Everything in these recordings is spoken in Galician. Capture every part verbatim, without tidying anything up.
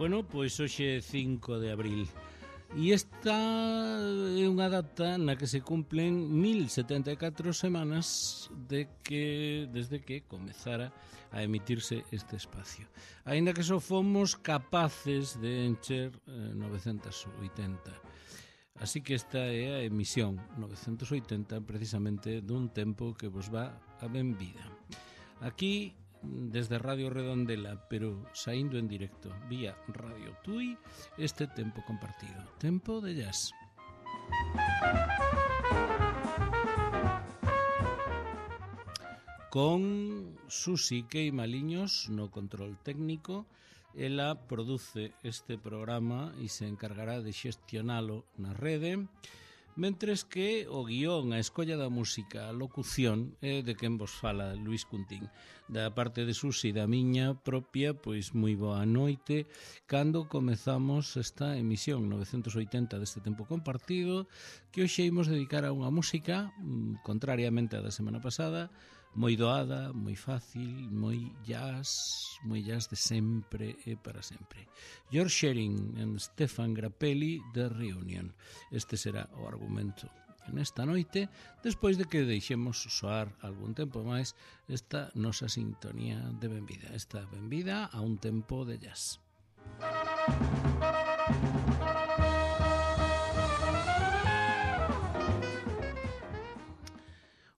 Bueno, pois hoxe é cinco de abril e esta é unha data na que se cumplen mil setenta e catro semanas de que desde que comezara a emitirse este espacio. Aínda que só fomos capaces de encher eh, novecentos oitenta. Así que esta é a emisión novecentos oitenta precisamente dun tempo que vos va a benvida. Aquí desde Radio Redondela, pero saindo en directo vía Radio Tui, este tempo compartido, tempo de jazz. Con Susi Queimaliños no control técnico. Ela produce este programa e se encargará de xestionalo na rede, mentres que o guión, a escolla da música, a locución é de quen vos fala, Luís Cuntín. Da parte de Susi, da miña propia, pois moi boa noite. Cando comezamos esta emisión novecentos oitenta deste tempo compartido, que hoxe imos dedicar a unha música, contrariamente á da semana pasada, moi doada, moi fácil, moi jazz, moi jazz de sempre e para sempre. George Shearing e Stefan Grappelli de Reunion. Este será o argumento nesta noite, despois de que deixemos soar algún tempo máis esta nosa sintonía de benvida, esta benvida a un tempo de jazz.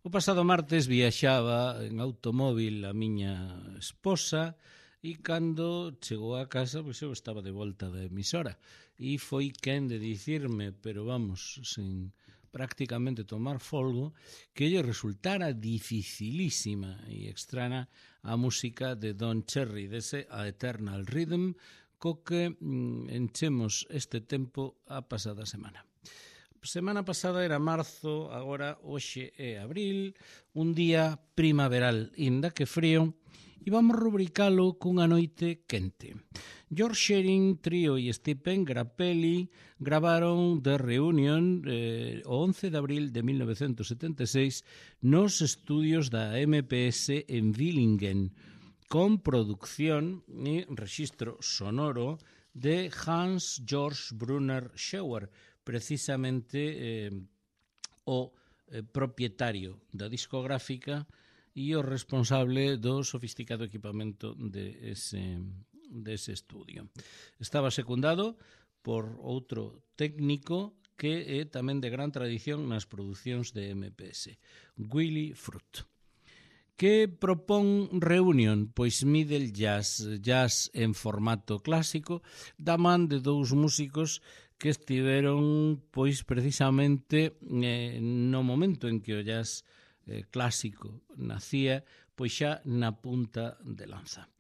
O pasado martes viaxaba en automóvil a miña esposa e cando chegou a casa, pois eu estaba de volta da emisora e foi quen de dicirme, pero vamos, sen prácticamente tomar folgo, que lle resultara dificilísima e extraña a música de Don Cherry, dese A Eternal Rhythm, co que mm, enchemos este tempo a pasada semana. Semana pasada era marzo, agora hoxe é abril, un día primaveral, inda que frío, e vamos rubricalo cunha noite quente. George Shearing, Trio e Stephen Grappelli gravaron The Reunion eh, o once de abril de mil novecentos setenta e seis nos estudios da M P S en Villingen, con producción e rexistro sonoro de Hans Georg Brunner Schauer, precisamente eh, o eh, propietario da discográfica e o responsable do sofisticado equipamento de ese, de ese estudio. Estaba secundado por outro técnico que é tamén de gran tradición nas producións de M P S, Willy Fruit. Que propón Reunion? Pois middle jazz, jazz en formato clásico, da man de dous músicos que estiveron pois precisamente eh, no momento en que o jazz eh, clásico nacía, pois xa na punta de lanza.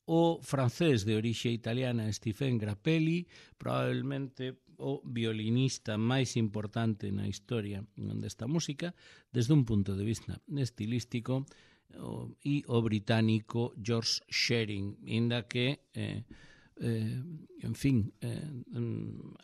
O francés de orixe italiana Stephen Grappelli, probablemente o violinista máis importante na historia desta música, desde un punto de vista estilístico, o, e o británico George Shearing, inda que eh, eh, en fin eh,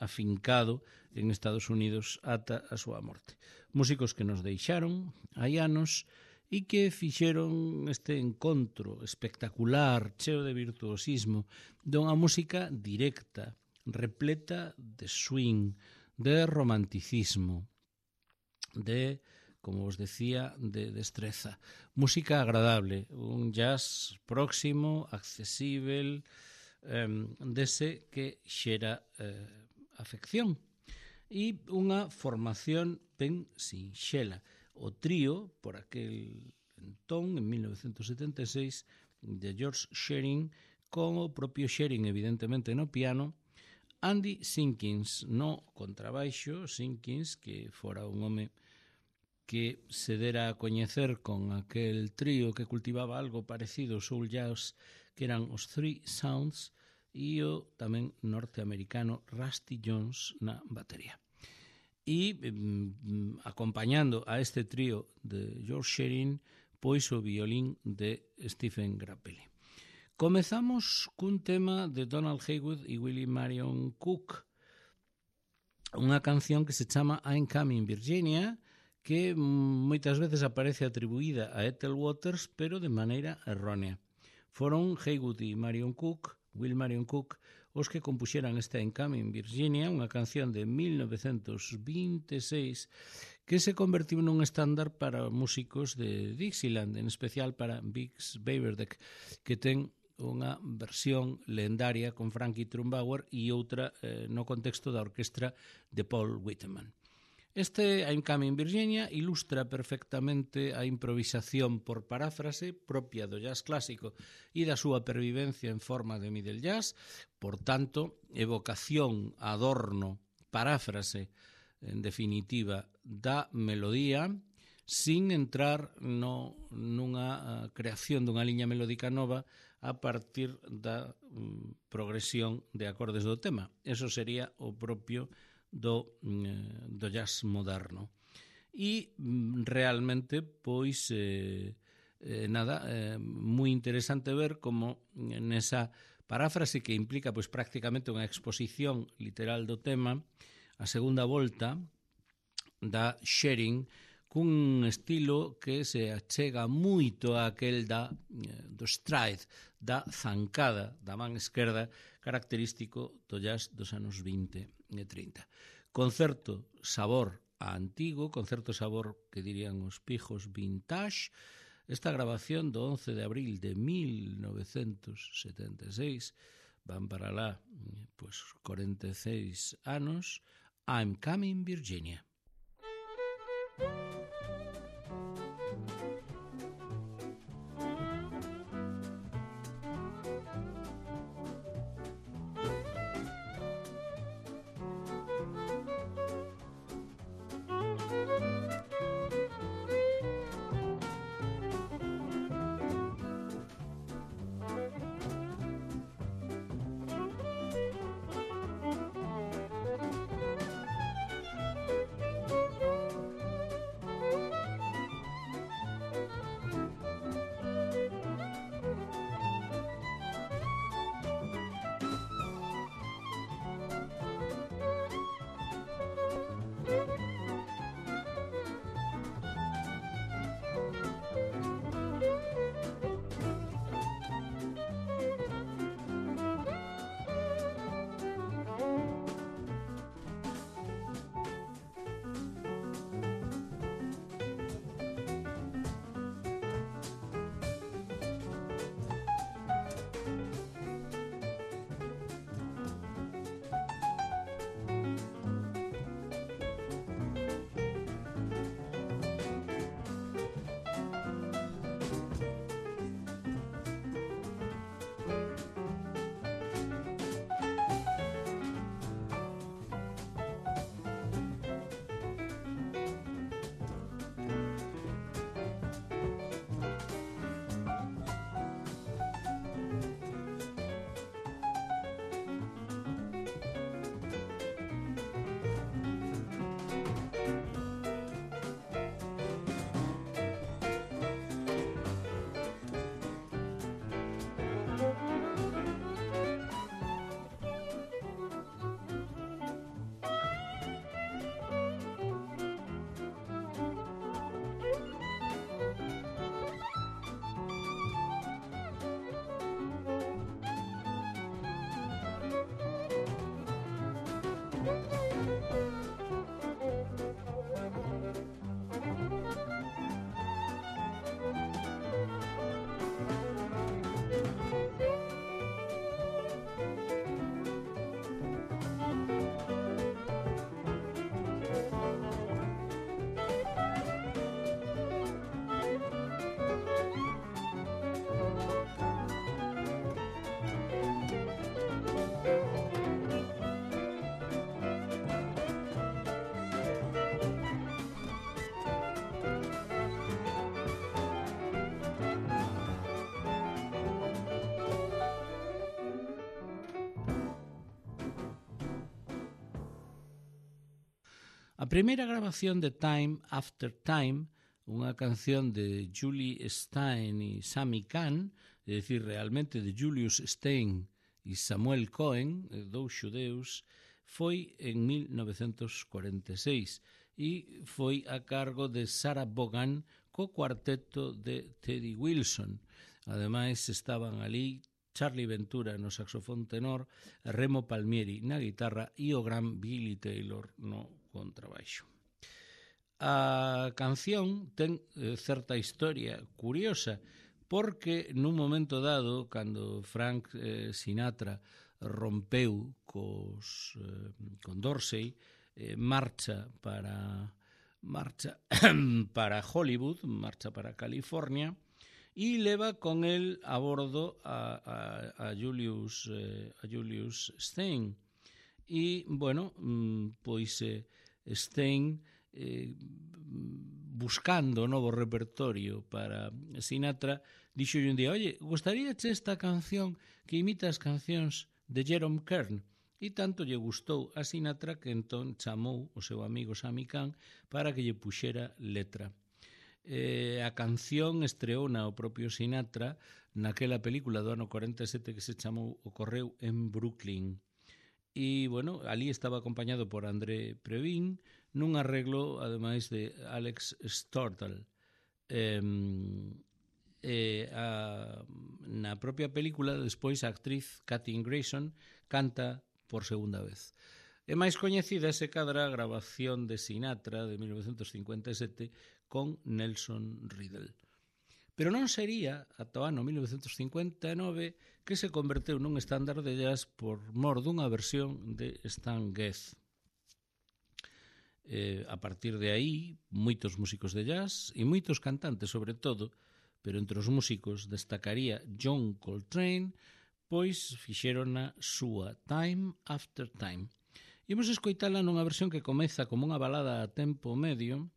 afincado en Estados Unidos ata a súa morte. Músicos que nos deixaron hai anos e que fixeron este encontro espectacular, cheo de virtuosismo, dunha música directa, repleta de swing, de romanticismo, de, como os decía, de destreza. Música agradable, un jazz próximo, accesível, eh, dese que xera eh, afección. E unha formación ben sinxela. O trío, por aquel entón, en mil novecentos setenta e seis, de George Shearing, con o propio Shearing, evidentemente, no piano, Andy Simpkins no contrabaixo, Simpkins, que fora un home que se dera a coñecer con aquel trío que cultivaba algo parecido ao soul jazz, que eran os Three Sounds, e o tamén norteamericano Rusty Jones na batería. E mm, acompañando a este trío de George Shearing, pois o violín de Stephen Grappelli. Comezamos cun tema de Donald Haywood e Willie Marion Cook, unha canción que se chama I'm Coming Virginia, que moitas veces aparece atribuída a Ethel Waters, pero de maneira errónea. Foron Haywood e Marion Cook Will Marion Cook, os que compuxeran esta In Coming Virginia, unha canción de mil novecentos vinte e seis que se convertiu nun estándar para músicos de Dixieland, en especial para Bix Beiderbecke, que ten unha versión lendaria con Frankie Trumbauer e outra eh, no contexto da orquestra de Paul Whiteman. Este I'm Coming Virginia ilustra perfectamente a improvisación por paráfrase propia do jazz clásico e da súa pervivencia en forma de middle jazz, por tanto, evocación, adorno, paráfrase, en definitiva, da melodía, sin entrar no, nunha creación dunha liña melódica nova a partir da um, progresión de acordes do tema. Eso sería o propio do, do jazz moderno. E realmente, pois, eh, eh, nada, eh, moi interesante ver como nesa paráfrase que implica pois prácticamente unha exposición literal do tema, a segunda volta da sharing cun estilo que se achega moito a aquel da, do stride, da zancada da man esquerda, característico do jazz dos anos vinte e trinta. Concerto sabor a antigo, concerto sabor que dirían os pijos vintage, esta grabación do once de abril de mil novecentos setenta e seis, van para lá pues, cuarenta e seis anos, I'm Coming Virginia. A primeira grabación de Time After Time, unha canción de Julie Stein e Sammy Cahn, é dicir, realmente de Julius Stein e Samuel Cohen, dous xudeus, foi en mil novecentos cuarenta e seis e foi a cargo de Sarah Vaughan co cuarteto de Teddy Wilson. Ademais, estaban ali Charlie Ventura no saxofón tenor, Remo Palmieri na guitarra e o gran Billy Taylor no contrabaixo. A canción ten eh, certa historia curiosa, porque nun momento dado, cando Frank eh, Sinatra rompeu cos, eh, con Dorsey, eh, marcha para marcha para Hollywood, marcha para California, e leva con el a bordo a, a, a Julius eh, a Julius Stein. E, bueno, pois eh, Stein eh, buscando novo repertorio para Sinatra, dixo un día, oye, gustaríache esta canción que imita as cancións de Jerome Kern? E tanto lle gustou a Sinatra que entón chamou o seu amigo Sammy Cahn para que lle puxera letra. Eh, a canción estreou na o propio Sinatra naquela película do ano cuarenta e sete que se chamou O Correu en Brooklyn. E, bueno, ali estaba acompañado por André Previn nun arreglo, ademais de Alex Stortal. Eh, eh, a, na propia película, despois, a actriz Kathy Grayson canta por segunda vez. É máis coñecida se cadra a grabación de Sinatra de mil novecentos cincuenta e sete con Nelson Riddle. Pero non sería ata o ano mil novecentos cincuenta e nove que se converteu nun estándar de jazz por mor dunha versión de Stan Getz. Eh, a partir de aí, moitos músicos de jazz e moitos cantantes, sobre todo, pero entre os músicos destacaría John Coltrane, pois fixeron a súa Time After Time. Imos escoitala nunha versión que comeza como unha balada a tempo medio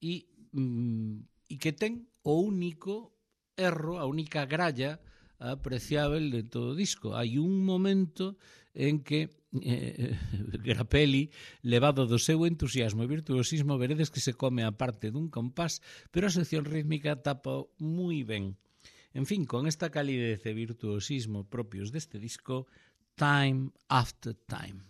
e, mm, e que ten o único erro, a única gralla apreciável de todo o disco. Hai un momento en que eh, Grappelli, levado do seu entusiasmo e virtuosismo, veredes que se come a parte dun compás, pero a sección rítmica tapa moi ben. En fin, con esta calidez e virtuosismo propios deste disco, Time After Time.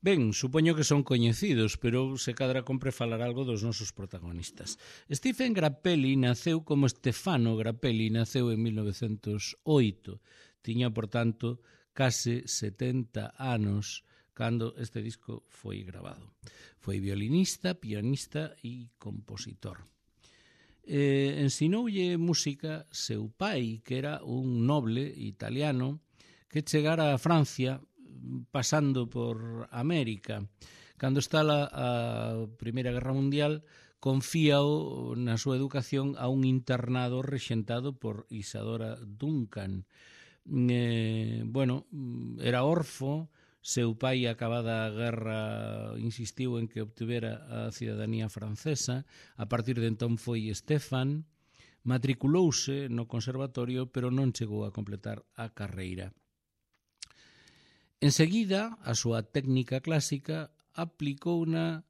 Ben, supoño que son coñecidos, pero se cadra compre falar algo dos nosos protagonistas. Stephen Grappelli naceu como Stefano Grappelli, naceu en mil novecentos oito. Tiña, por tanto, case setenta anos cando este disco foi grabado. Foi violinista, pianista e compositor. Eh, ensinoulle música seu pai, que era un noble italiano que chegara a Francia pasando por América. Cando está a, a Primeira Guerra Mundial, confíao na súa educación a un internado rexentado por Isadora Duncan. Eh, bueno, era orfo, seu pai, acabada a guerra, insistiu en que obtivera a cidadanía francesa. A partir de entón foi Stefan, matriculouse no conservatorio, pero non chegou a completar a carreira. Enseguida, a súa técnica clásica aplicouna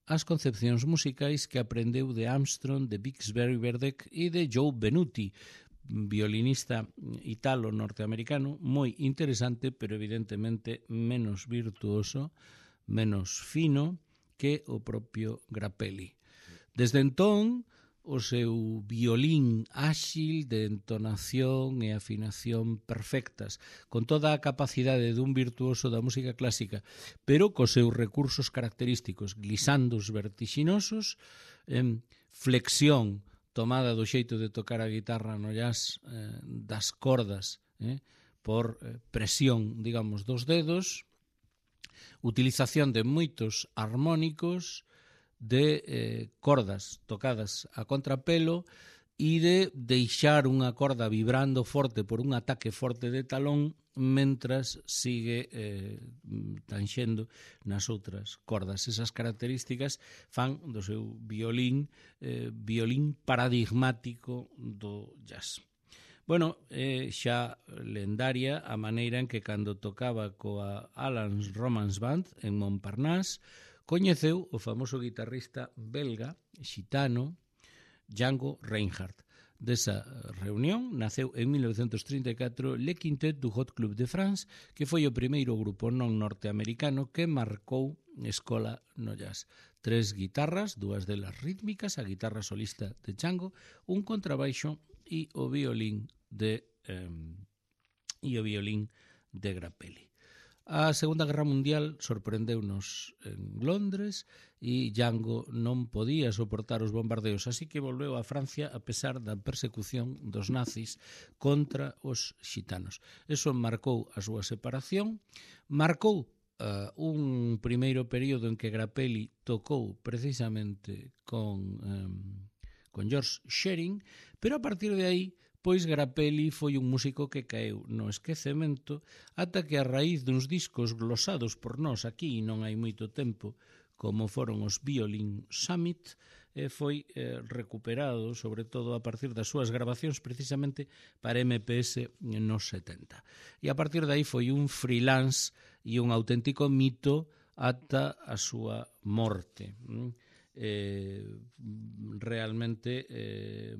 ás concepcións musicais que aprendeu de Armstrong, de Bixby Verdict e de Joe Venuti, violinista italo-norteamericano moi interesante, pero evidentemente menos virtuoso, menos fino que o propio Grappelli. Desde entón, o seu violín áxil de entonación e afinación perfectas, con toda a capacidade dun virtuoso da música clásica, pero cos seus recursos característicos, glissandos vertixinosos, eh, flexión tomada do xeito de tocar a guitarra no jazz, eh, das cordas, eh, por eh, presión, digamos, dos dedos, utilización de moitos armónicos, de eh, cordas tocadas a contrapelo e de deixar unha corda vibrando forte por un ataque forte de talón mentras sigue eh, tanxendo nas outras cordas. Esas características fan do seu violín eh, violín paradigmático do jazz. Bueno, eh, xa lendaria a maneira en que cando tocaba coa Alan's Romance Band en Montparnasse coñeceu o famoso guitarrista belga, xitano, Django Reinhardt. Desa reunión naceu en mil novecentos trinta e catro Le Quintet du Hot Club de France, que foi o primeiro grupo non norteamericano que marcou escola no jazz. Tres guitarras, dúas delas rítmicas, a guitarra solista de Django, un contrabaixo e o violín de eh, e o violín de Grappelli. A Segunda Guerra Mundial sorprendeunos en Londres e Django non podía soportar os bombardeos, así que volveu a Francia a pesar da persecución dos nazis contra os xitanos. Eso marcou a súa separación, marcou uh, un primeiro período en que Grappelli tocou precisamente con, um, con George Shearing, pero a partir de aí pois Grappelli foi un músico que caeu no esquecemento ata que a raíz duns discos glosados por nós aquí non hai moito tempo, como foron os Violin Summit, eh, foi eh, recuperado, sobre todo a partir das súas grabacións precisamente para M P S nos setenta. E a partir de aí foi un freelance e un auténtico mito ata a súa morte. Eh, realmente eh,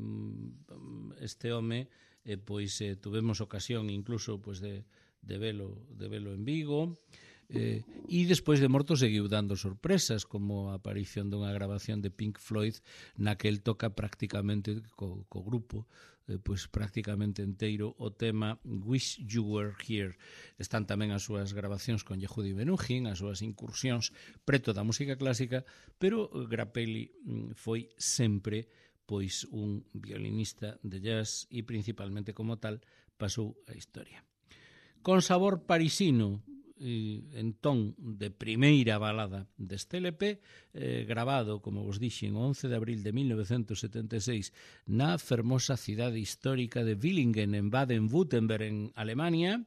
este home eh, pois eh, tuvemos ocasión incluso pois de, de velo de velo en Vigo eh, e despois de morto seguiu dando sorpresas, como a aparición dunha grabación de Pink Floyd na que el toca prácticamente co, co grupo eh, pois prácticamente enteiro o tema Wish You Were Here. Están tamén as súas grabacións con Yehudi Menuhin, as súas incursións preto da música clásica, pero Grappelli foi sempre pois un violinista de jazz e principalmente como tal pasou a historia. Con sabor parisino, en ton de primeira balada deste L P, eh, grabado, como vos dixen, o once de abril de mil novecentos setenta e seis na fermosa cidade histórica de Villingen, en Baden-Württemberg, en Alemania,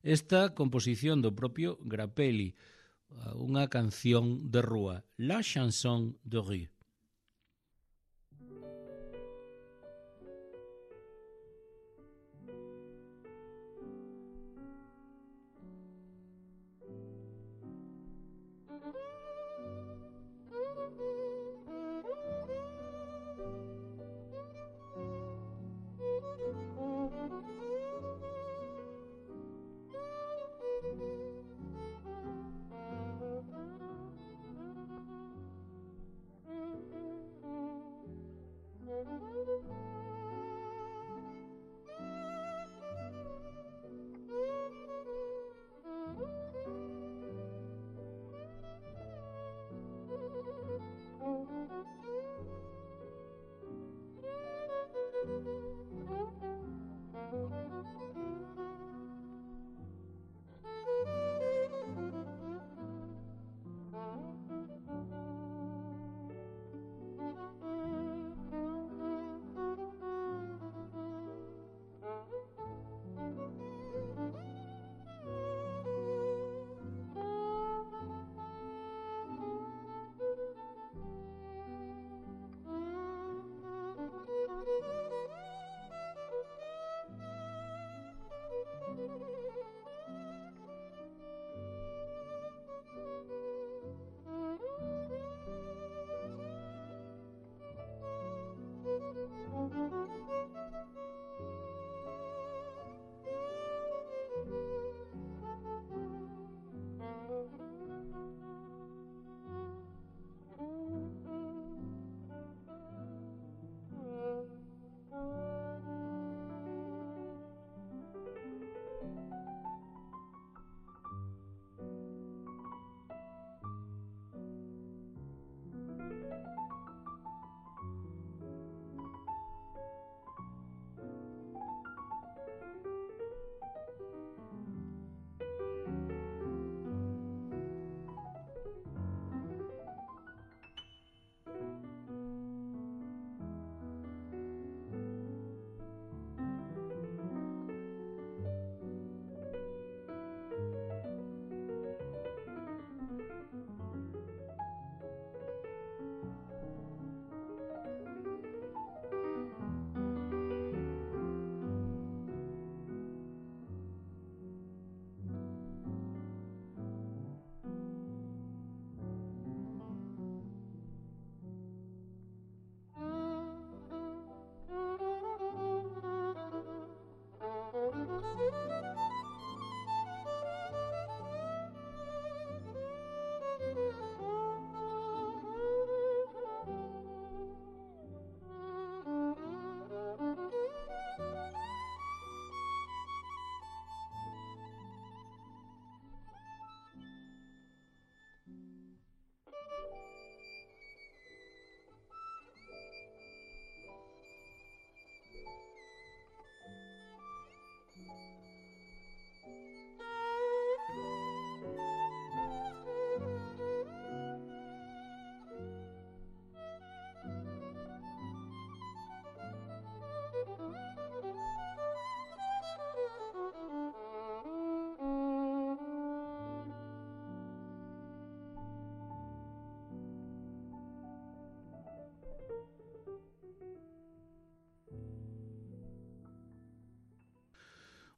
esta composición do propio Grappelli, unha canción de rúa, La Chanson de Rue.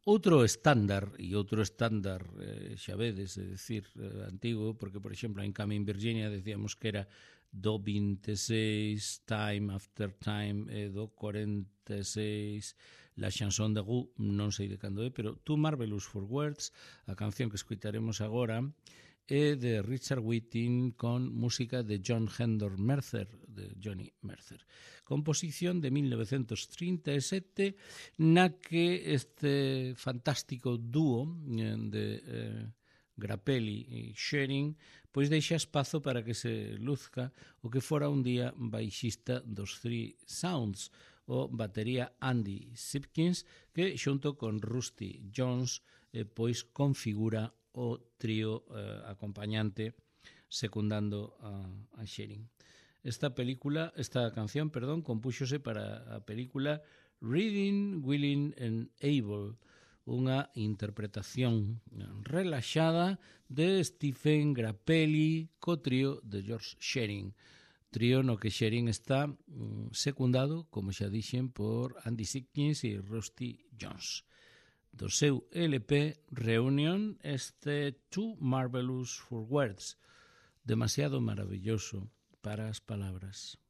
Outro estándar, e outro estándar, eh, xa vedes, é dicir, eh, antigo, porque, por exemplo, en Coming Virginia decíamos que era do vinte e seis, Time After Time, e do cuarenta e seis, La Chanson de Roux, non sei de cando é, pero Too Marvelous for Words, a canción que escutaremos agora, é de Richard Whiting con música de John Hendon Mercer, de Johnny Mercer. Composición de mil novecientos trinta e sete, na que este fantástico dúo de eh, Grappelli e Shearing pois deixa espazo para que se luzca o que fora un día baixista dos Three Sounds, o batería Andy Simpkins, que xunto con Rusty Jones eh, pois configura o trío eh, acompañante secundando a, a Shearing. Esta película, esta canción, perdón, compúxose para a película Reading, Willing and Able, unha interpretación relaxada de Stephen Grappelli co trío de George Shearing. Trío no que Shearing está mm, secundado, como xa dixen, por Andy Simpkins e Rusty Jones. Do seu L P Reunion, este Too Marvelous for Words, demasiado maravilloso para as palabras.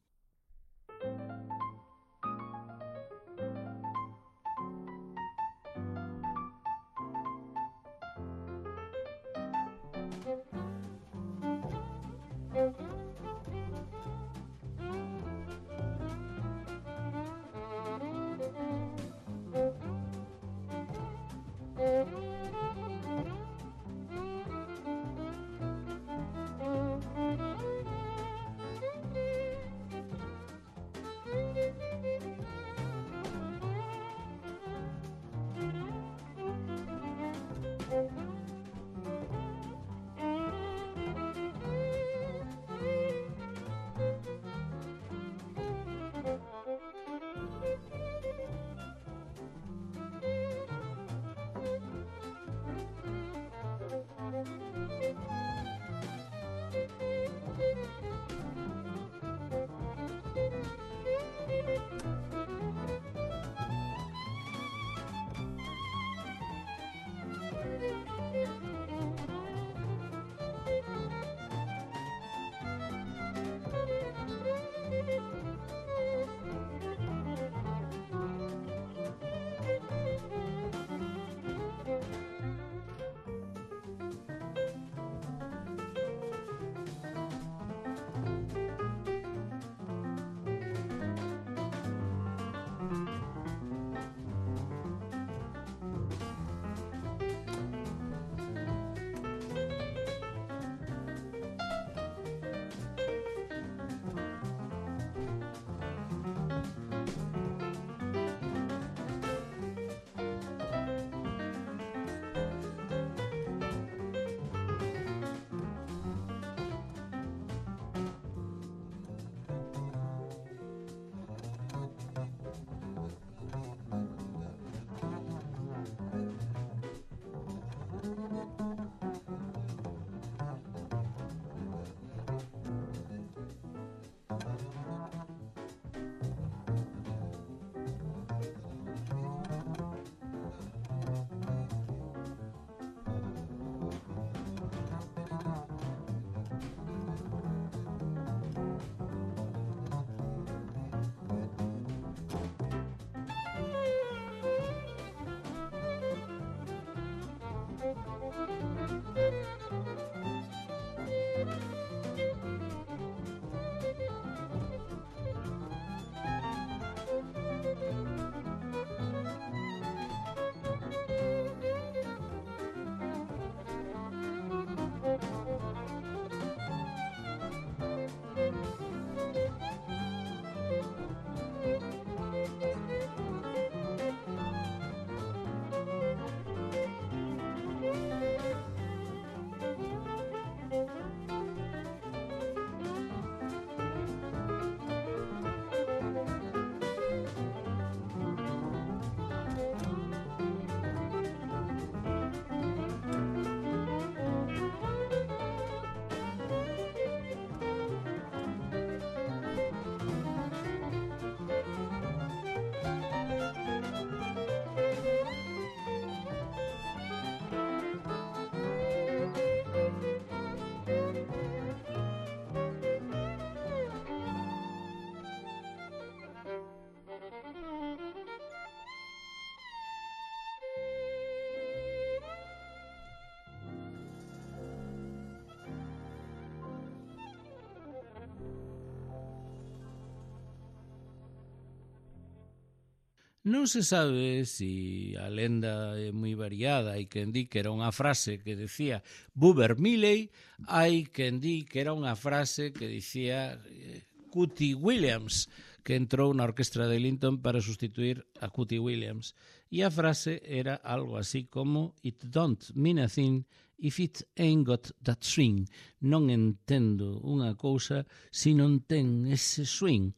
Non se sabe si a lenda é moi variada, hai quen di que era unha frase que decía Boober Milley, hai quen di que era unha frase que dicía eh, Cootie Williams, que entrou na orquestra de Ellington para sustituir a Cootie Williams. E a frase era algo así como It don't mean a thing if it ain't got that swing. Non entendo unha cousa se non ten ese swing.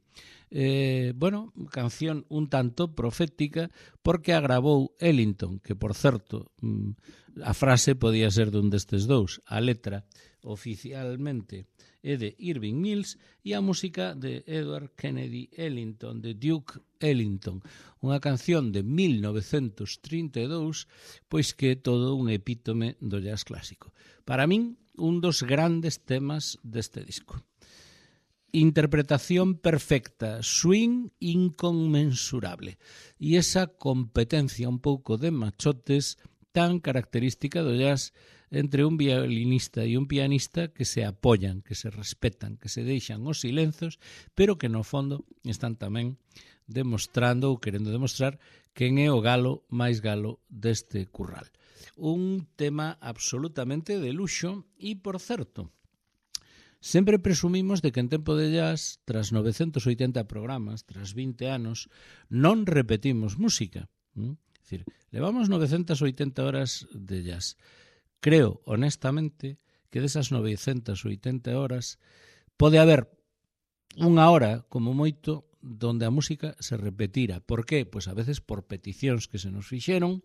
Eh, bueno, canción un tanto profética porque a gravou Ellington, que por certo a frase podía ser dun destes dous. A letra oficialmente é de Irving Mills e a música de Edward Kennedy Ellington, de Duke Ellington. Unha canción de mil novecentos trinta e dous, pois que é todo un epítome do jazz clásico. Para min, un dos grandes temas deste disco. Interpretación perfecta, swing inconmensurable e esa competencia un pouco de machotes tan característica do jazz entre un violinista e un pianista que se apoyan, que se respetan, que se deixan os silenzos, pero que no fondo están tamén demostrando ou querendo demostrar quen é o galo máis galo deste curral. Un tema absolutamente de luxo e, por certo, sempre presumimos de que en tempo de jazz, tras novecentos oitenta programas, tras vinte anos, non repetimos música. É dicir, levamos novecentas oitenta horas de jazz. Creo, honestamente, que desas novecentas oitenta horas pode haber unha hora, como moito, donde a música se repetira. Por qué? Pois a veces por peticións que se nos fixeron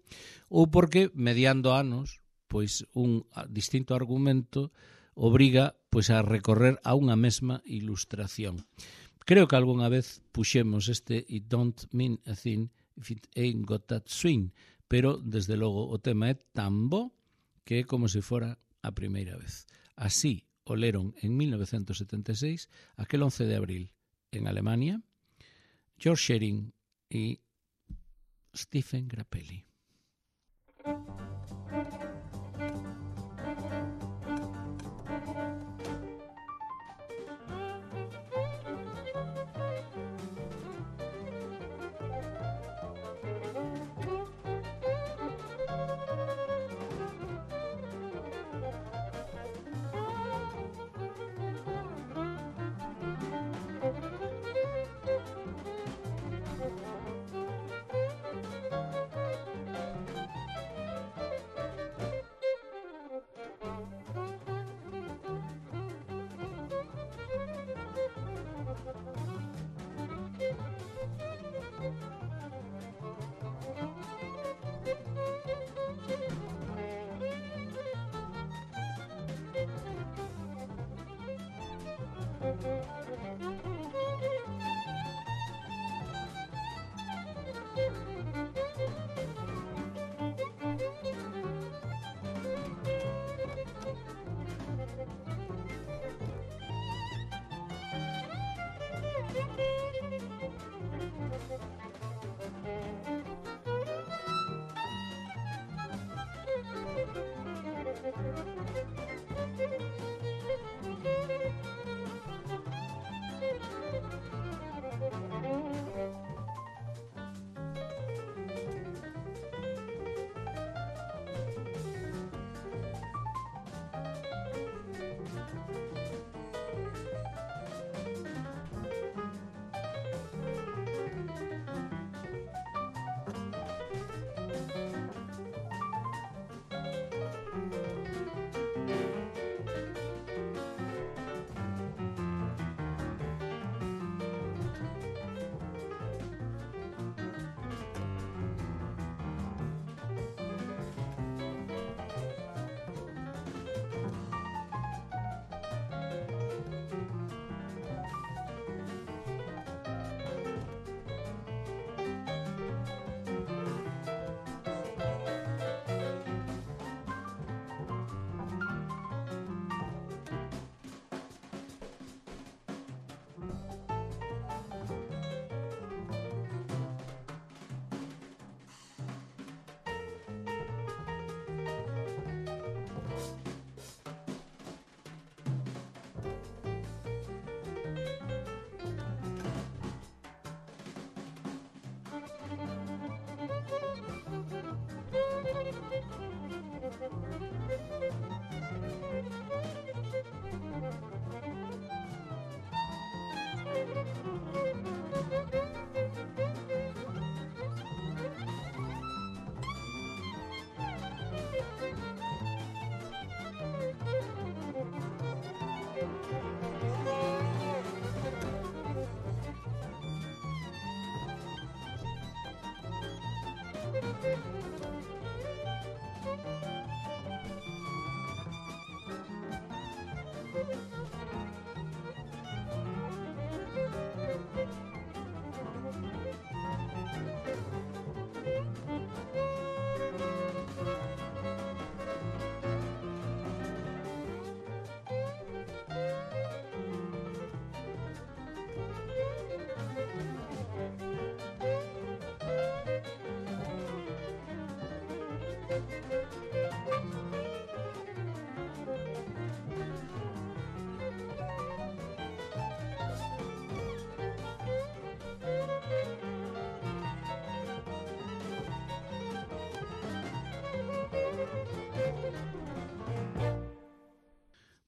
ou porque, mediando anos, pois un distinto argumento obriga pois a recorrer a unha mesma ilustración. Creo que algunha vez puxemos este It don't mean a thing if it ain't got that swing, pero desde logo o tema é tan bo que é como se fora a primeira vez. Así o leron en mil novecentos setenta e seis, aquel once de abril, en Alemania, George Shearing e Stephen Grappelli.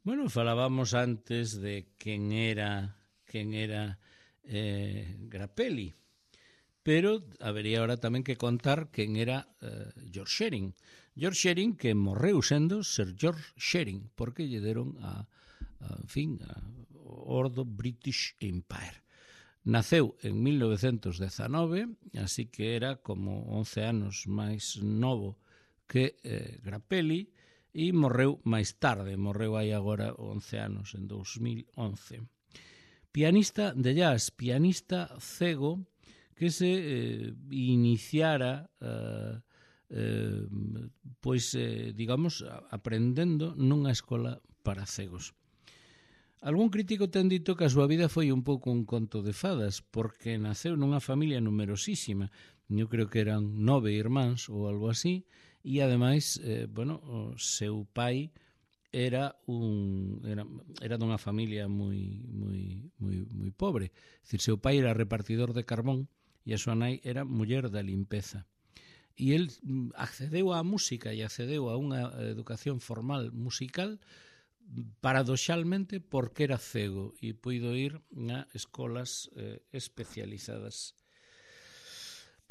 Bueno, falábamos antes de quen era quen era eh, Grappelli, pero habería ahora tamén que contar quen era eh, George Shearing. George Shearing, que morreu sendo Sir George Shearing, porque lle deron a, a en fin, a Ordo British Empire. Naceu en mil novecentos dezanove, así que era como once anos máis novo que eh, Grappelli, e morreu máis tarde, morreu aí agora once anos, en dous mil once. Pianista de jazz, pianista cego, que se eh, iniciara, eh, eh, pois, eh, digamos, aprendendo nunha escola para cegos. Algún crítico ten dito que a súa vida foi un pouco un conto de fadas, porque naceu nunha familia numerosísima, eu creo que eran nove irmáns ou algo así, e ademais, eh, bueno, o seu pai era un era, era dunha familia moi moi moi moi pobre. É dicir, seu pai era repartidor de carbón e a súa nai era muller da limpeza. E el accedeu á música e accedeu a unha educación formal musical paradoxalmente porque era cego e puido ir a escolas eh, especializadas.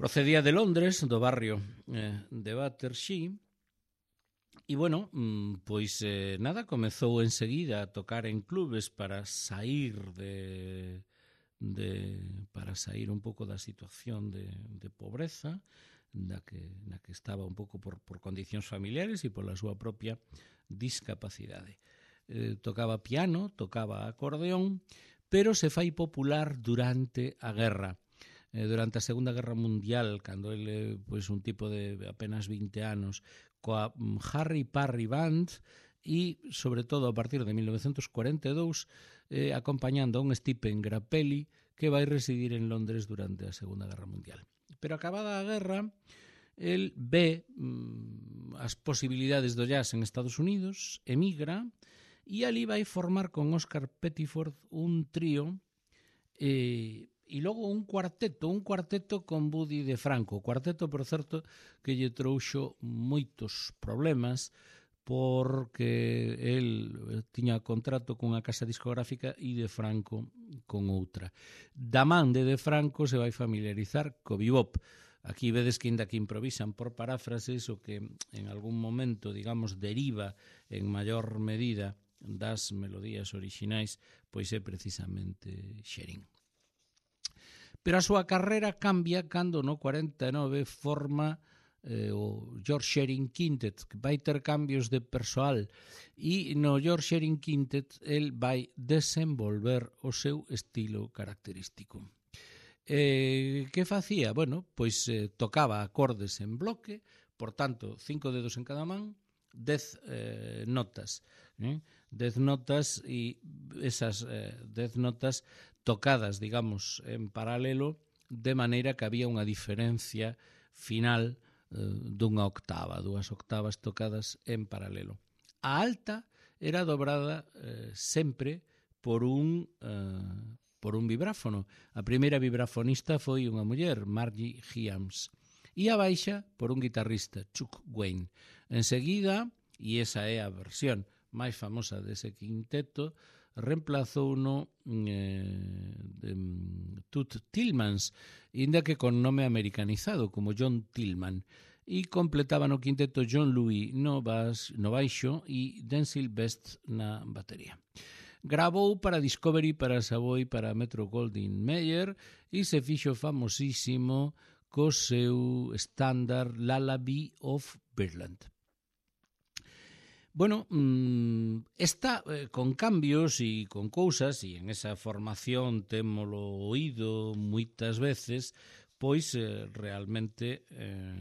Procedía de Londres, do barrio eh, de Battersea, e, bueno, pois eh, nada, comezou enseguida a tocar en clubes para sair de, de para sair un pouco da situación de, de pobreza na que, na que estaba un pouco por, por condicións familiares e pola súa propia discapacidade. Eh, tocaba piano, tocaba acordeón, pero se fai popular durante a guerra. Durante a Segunda Guerra Mundial, cando ele, pois, un tipo de apenas vinte anos, coa Harry Parry Band e, sobre todo, a partir de mil novecentos cuarenta e dous, eh, acompañando a un Stephen Grappelli que vai residir en Londres durante a Segunda Guerra Mundial. Pero acabada a guerra, el ve mm, as posibilidades do jazz en Estados Unidos, emigra, e ali vai formar con Oscar Pettiford un trío e... E logo un cuarteto, un cuarteto con Buddy DeFranco. O cuarteto, por certo, que lle trouxo moitos problemas porque el tiña contrato cunha casa discográfica e DeFranco con outra. Da man de DeFranco se vai familiarizar co bebop. Aquí vedes que ainda que improvisan por paráfrases o que en algún momento, digamos, deriva en maior medida das melodías orixinais, pois é precisamente Shearing. Pero a súa carreira cambia cando no cuarenta e nove forma eh, o George Shearing Quintet, que vai ter cambios de persoal, e no George Shearing Quintet el vai desenvolver o seu estilo característico. Eh, que facía? Bueno, pois eh, tocaba acordes en bloque, por tanto, cinco dedos en cada man, dez eh, notas, eh? dez notas, e esas eh, dez notas tocadas, digamos, en paralelo, de maneira que había unha diferencia final eh, dunha octava, dúas octavas tocadas en paralelo. A alta era dobrada eh, sempre por un eh, por un vibráfono. A primeira vibrafonista foi unha muller, Margie Hyams, e a baixa por un guitarrista, Chuck Wayne. Enseguida, e esa é a versión máis famosa dese quinteto, reemplazou no eh, de, Toots Thielemans, inda que con nome americanizado como John Tillman, e completaba no quinteto John Louis no, bas, no baixo e Denzil Best na batería. Gravou para Discovery, para Savoy, para Metro Goldwyn Mayer e se fixo famosísimo co seu estándar Lullaby of Birdland. Bueno, está eh, con cambios e con cousas, e en esa formación témolo oído moitas veces, pois eh, realmente eh,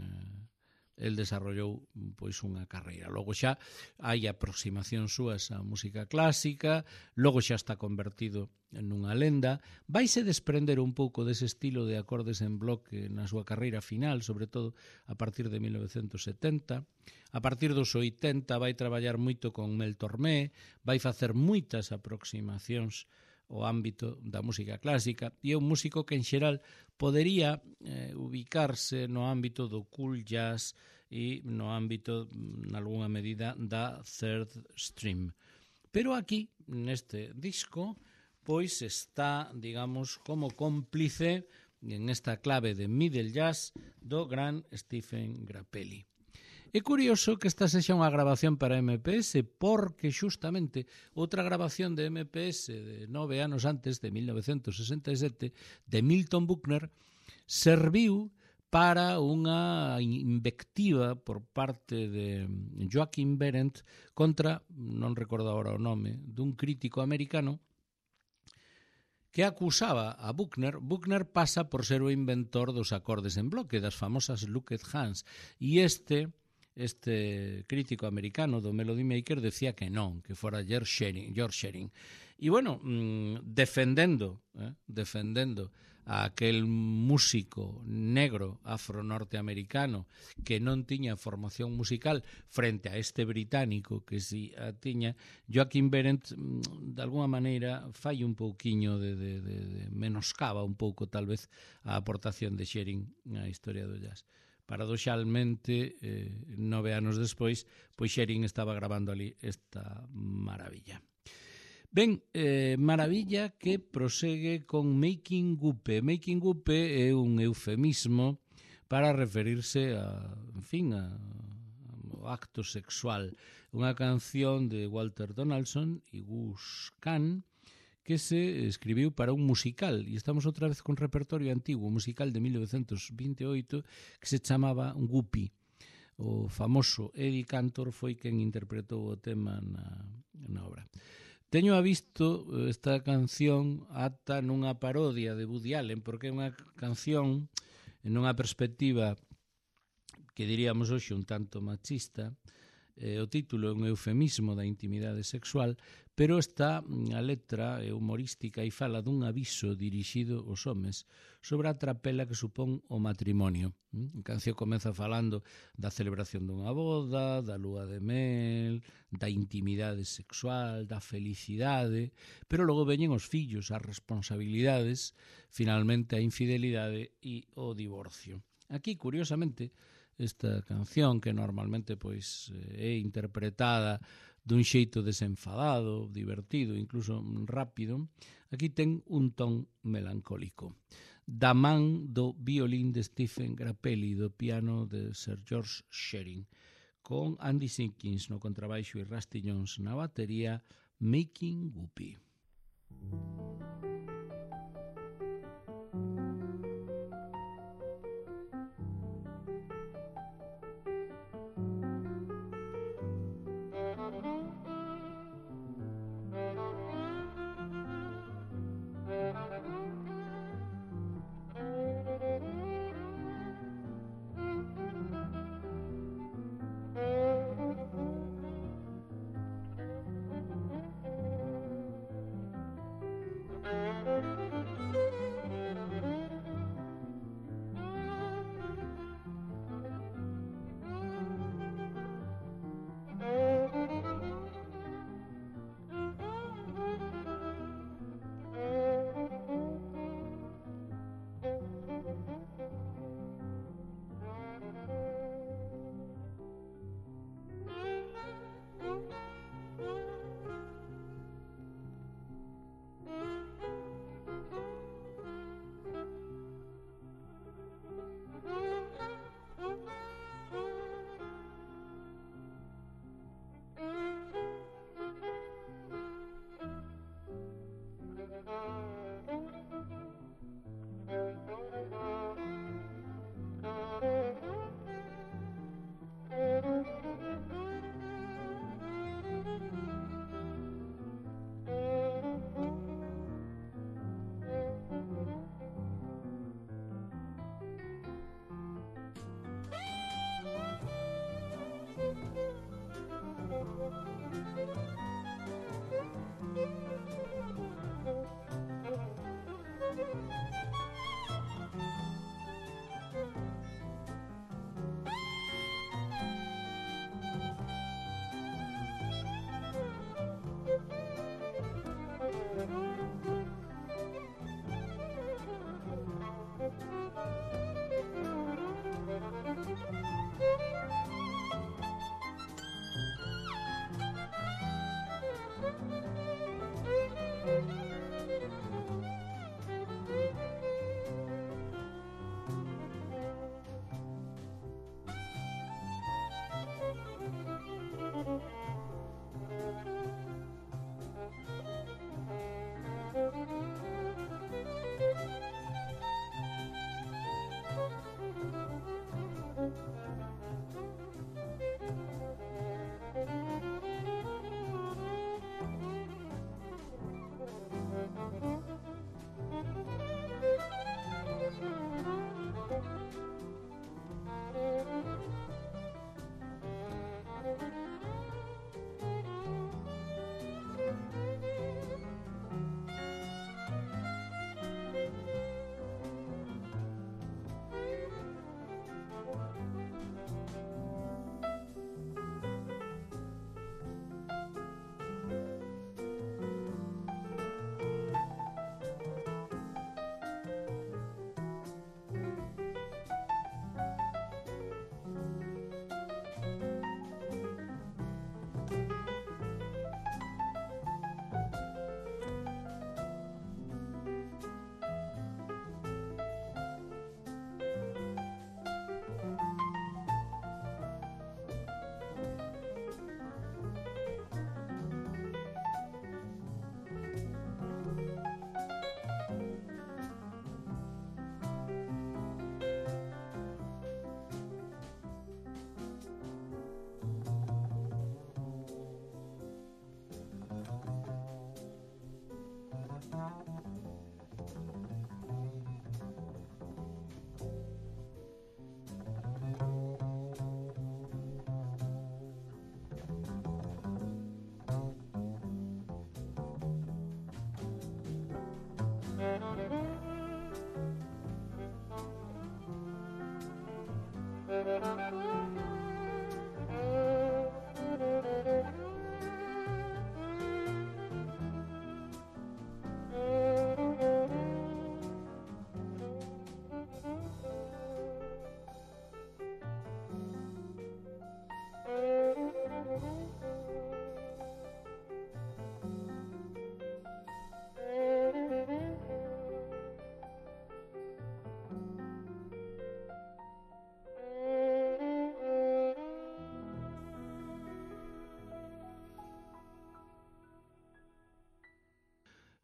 el desarrollou pois unha carreira. Logo xa hai aproximación súas á música clásica, logo xa está convertido en unha lenda, vaise desprender un pouco dese estilo de acordes en bloque na súa carreira final, sobre todo a partir de mil novecentos setenta. A partir dos oitenta vai traballar moito con Mel Tormé, vai facer moitas aproximacións ao ámbito da música clásica, e é un músico que en xeral podería eh, ubicarse no ámbito do cool jazz e no ámbito, nalgúna medida, da third stream. Pero aquí, neste disco, pois está, digamos, como cómplice en esta clave de middle jazz do gran Stephen Grappelli. É curioso que esta sexa unha grabación para M P S porque xustamente outra grabación de M P S de nove anos antes, de mil novecentos sesenta e sete, de Milton Buckner, serviu para unha invectiva por parte de Joachim Behrendt contra, non recordo agora o nome, dun crítico americano que acusaba a Buckner. Buckner pasa por ser o inventor dos acordes en bloque, das famosas Looked Hands, e este este crítico americano do Melody Maker decía que non, que fora George Shearing. George Shearing. E, bueno, mmm, defendendo, eh, defendendo a aquel músico negro afro-norteamericano que non tiña formación musical frente a este británico que si a tiña, Joachim Behrendt, de alguma maneira, fai un pouquiño de, de, de, de menoscaba un pouco, tal vez, a aportación de Shearing na historia do jazz. Paradoxalmente, eh, nove anos despois, pois Shearing estaba grabando ali esta maravilla. Ben, eh, maravilla que prosegue con Making Gupe. Making Gupe é un eufemismo para referirse a, en fin, a, a acto sexual. Unha canción de Walter Donaldson e Gus Kahn que se escribiu para un musical, e estamos outra vez con repertorio antigo, un musical de mil novecentos vinte e oito que se chamaba Guppy. O famoso Eddie Cantor foi quen interpretou o tema na, na obra. Teño a visto esta canción ata nunha parodia de Woody Allen, porque é unha canción nunha perspectiva que diríamos hoxe un tanto machista. Eh, o título é un eufemismo da intimidade sexual, pero está a letra é humorística e fala dun aviso dirixido aos homes sobre a trapela que supón o matrimonio. A canción comeza falando da celebración dunha boda, da lúa de mel, da intimidade sexual, da felicidade, pero logo veñen os fillos, as responsabilidades, finalmente a infidelidade e o divorcio. Aquí, curiosamente, esta canción, que normalmente pois é interpretada dun xeito desenfadado, divertido, incluso rápido, aquí ten un ton melancólico. Da man do violín de Stephen Grappelli, do piano de Sir George Shearing, con Andy Simpkins no contrabaixo e Rusty Jones na batería, Making Guppy.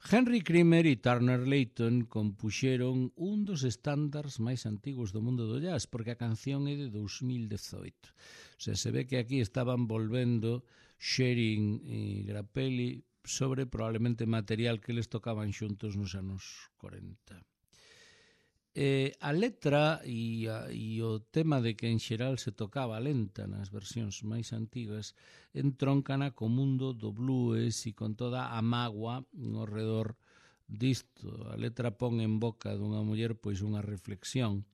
Henry Creamer e Turner Layton compuxeron un dos estándares máis antigos do mundo do jazz, porque a canción é de dos mil dezoito. O sea, se ve que aquí estaban volvendo Sherin e Grappelli sobre probablemente material que les tocaban xuntos nos anos corenta. Eh, a letra e, a, e o tema de que en xeral se tocaba lenta nas versións máis antigas entroncana co mundo do blues e con toda a mágoa ao redor disto. A letra pon en boca dunha muller pois unha reflexión,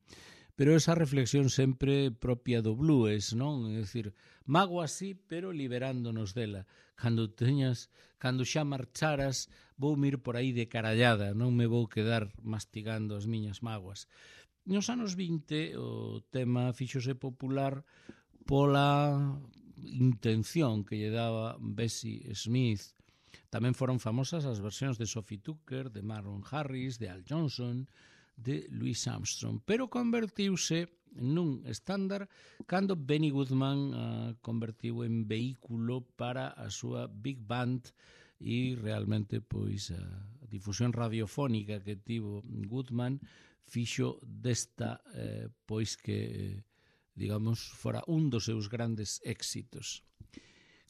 pero esa reflexión sempre propia do blues, non? É dicir, mágoa sí, pero liberándonos dela. Cando teñas, cando xa marcharas, vou mir por aí de carallada, non me vou quedar mastigando as miñas mágoas. Nos anos vinte o tema fíxose popular pola intención que lle daba Bessie Smith. Tamén foron famosas as versións de Sophie Tucker, de Marlon Harris, de Al Johnson, de Louis Armstrong, pero convertiuse nun estándar cando Benny Goodman uh, convertiu en vehículo para a súa big band e realmente pois a difusión radiofónica que tivo Goodman fixo desta eh, pois que digamos fora un dos seus grandes éxitos.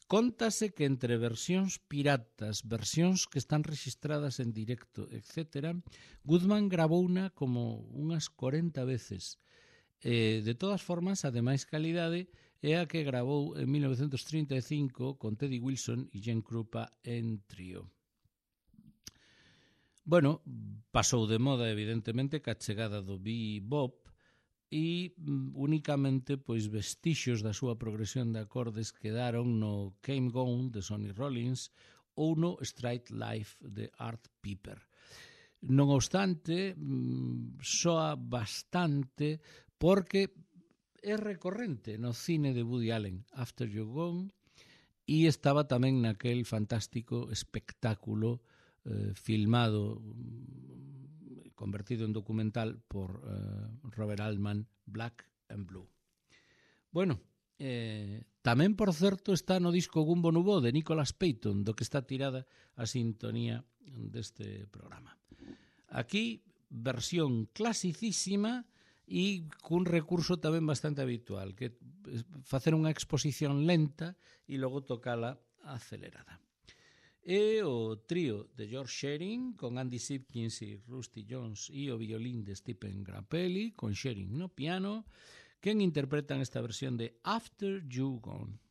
Cóntase que entre versións piratas, versións que están registradas en directo, etcétera, Goodman grabouna como unhas corenta veces. Eh, de todas formas, a de máis calidade é a que gravou en mil novecentos trinta e cinco con Teddy Wilson e Gene Krupa en trío. Bueno, pasou de moda, evidentemente, ca chegada do bebop e mm, únicamente pois vestixios da súa progresión de acordes quedaron no Came Gone de Sonny Rollins ou no Straight Life de Art Piper. Non obstante, mm, soa bastante porque é recorrente no cine de Woody Allen, After You're Gone, e estaba tamén naquel fantástico espectáculo eh, filmado, convertido en documental por eh, Robert Altman, Black and Blue. Bueno, eh, tamén, por certo, está no disco Gumbo Nubo de Nicholas Payton, do que está tirada a sintonía deste programa. Aquí, versión clasicísima e cun recurso tamén bastante habitual, que facer unha exposición lenta e logo tocala acelerada. E o trío de George Sherin con Andy Simpkins e Rusty Jones e o violín de Stephen Grappelli con Sherin no piano, quen interpretan esta versión de After You Gone.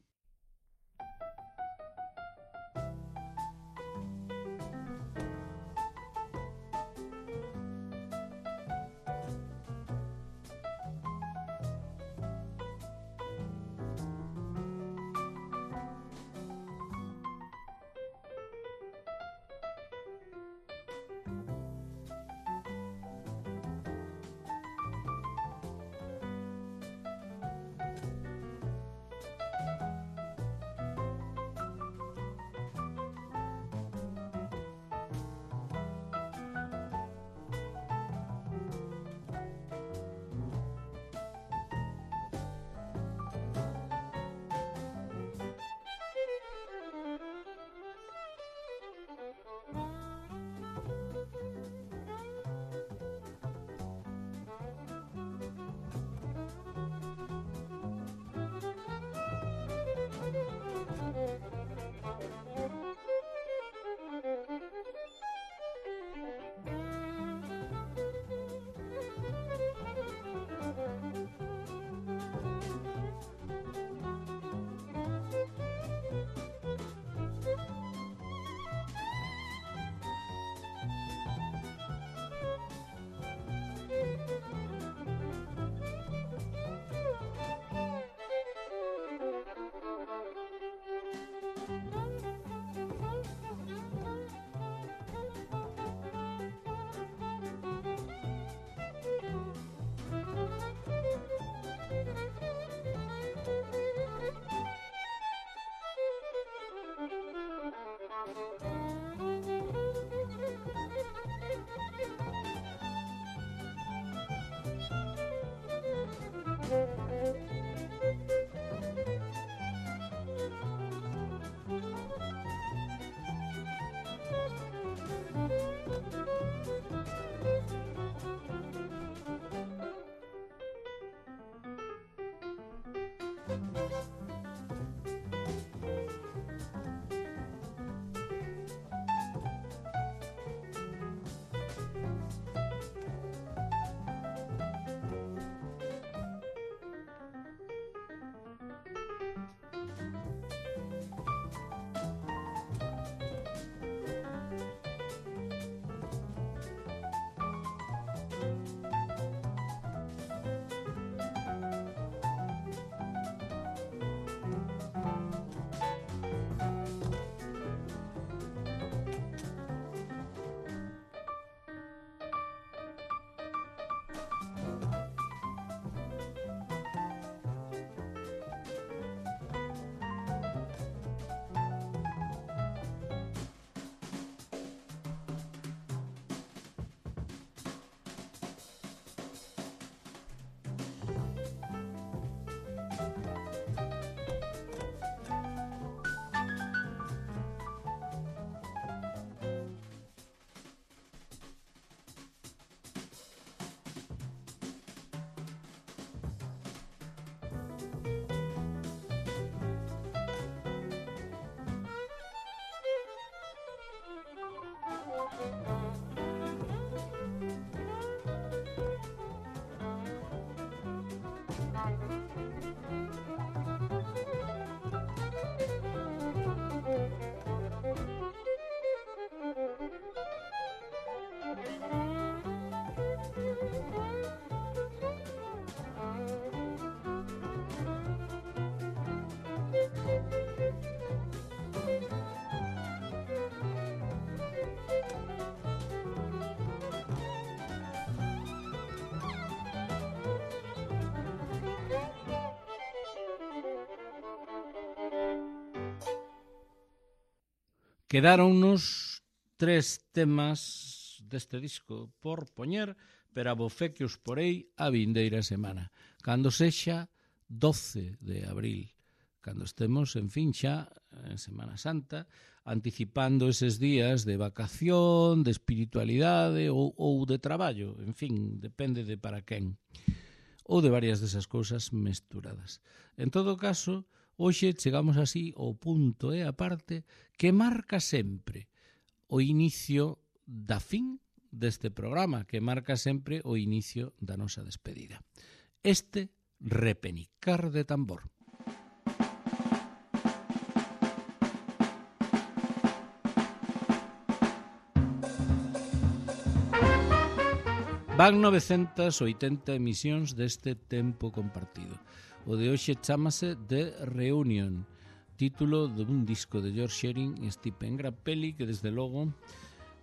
Quedáronnos tres temas deste disco por poñer, pero a bo fe que os porei a vindeira semana, cando sexa doce de abril, cando estemos, en fin, xa en Semana Santa, anticipando eses días de vacación, de espiritualidade ou, ou de traballo, en fin, depende de para quen, ou de varias desas cousas mesturadas. En todo caso, hoxe chegamos así ao punto e a parte que marca sempre o inicio da fin deste programa, que marca sempre o inicio da nosa despedida. Este repenicar de tambor. Van novecentas oitenta emisións deste tempo compartido. O de hoxe chámase The Reunion, título dun disco de George Shearing e Stephen Grappelli que desde logo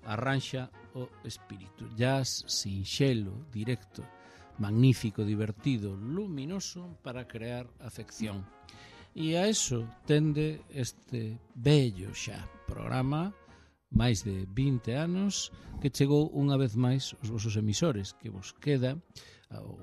arranxa o espírito. Jazz sinxelo, directo, magnífico, divertido, luminoso para crear afección. E a eso tende este bello xa programa, máis de vinte anos, que chegou unha vez máis os vosos emisores, que vos queda,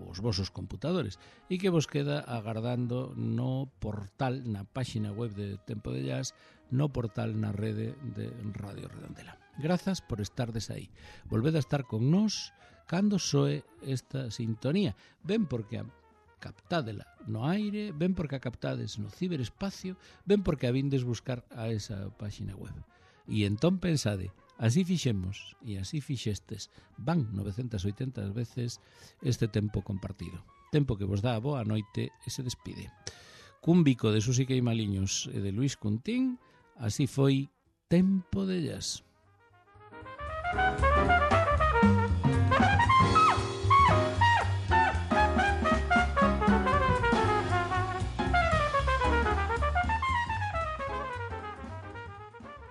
os vosos computadores, e que vos queda agardando no portal, na páxina web de Tempo de Jazz, no portal na rede de Radio Redondela. Grazas por estardes aí. Volved a estar con nós cando soe esta sintonía. Ben porque a captádela no aire, ben porque a captades no ciberespacio, ben porque a vindes buscar a esa páxina web. E entón pensade, así fixemos e así fixestes, van novecentas oitenta veces este tempo compartido. Tempo que vos dá a boa noite e se despide. Cun bico de Susi Queimaliños e de Luis Cuntín, así foi Tempo de Jazz.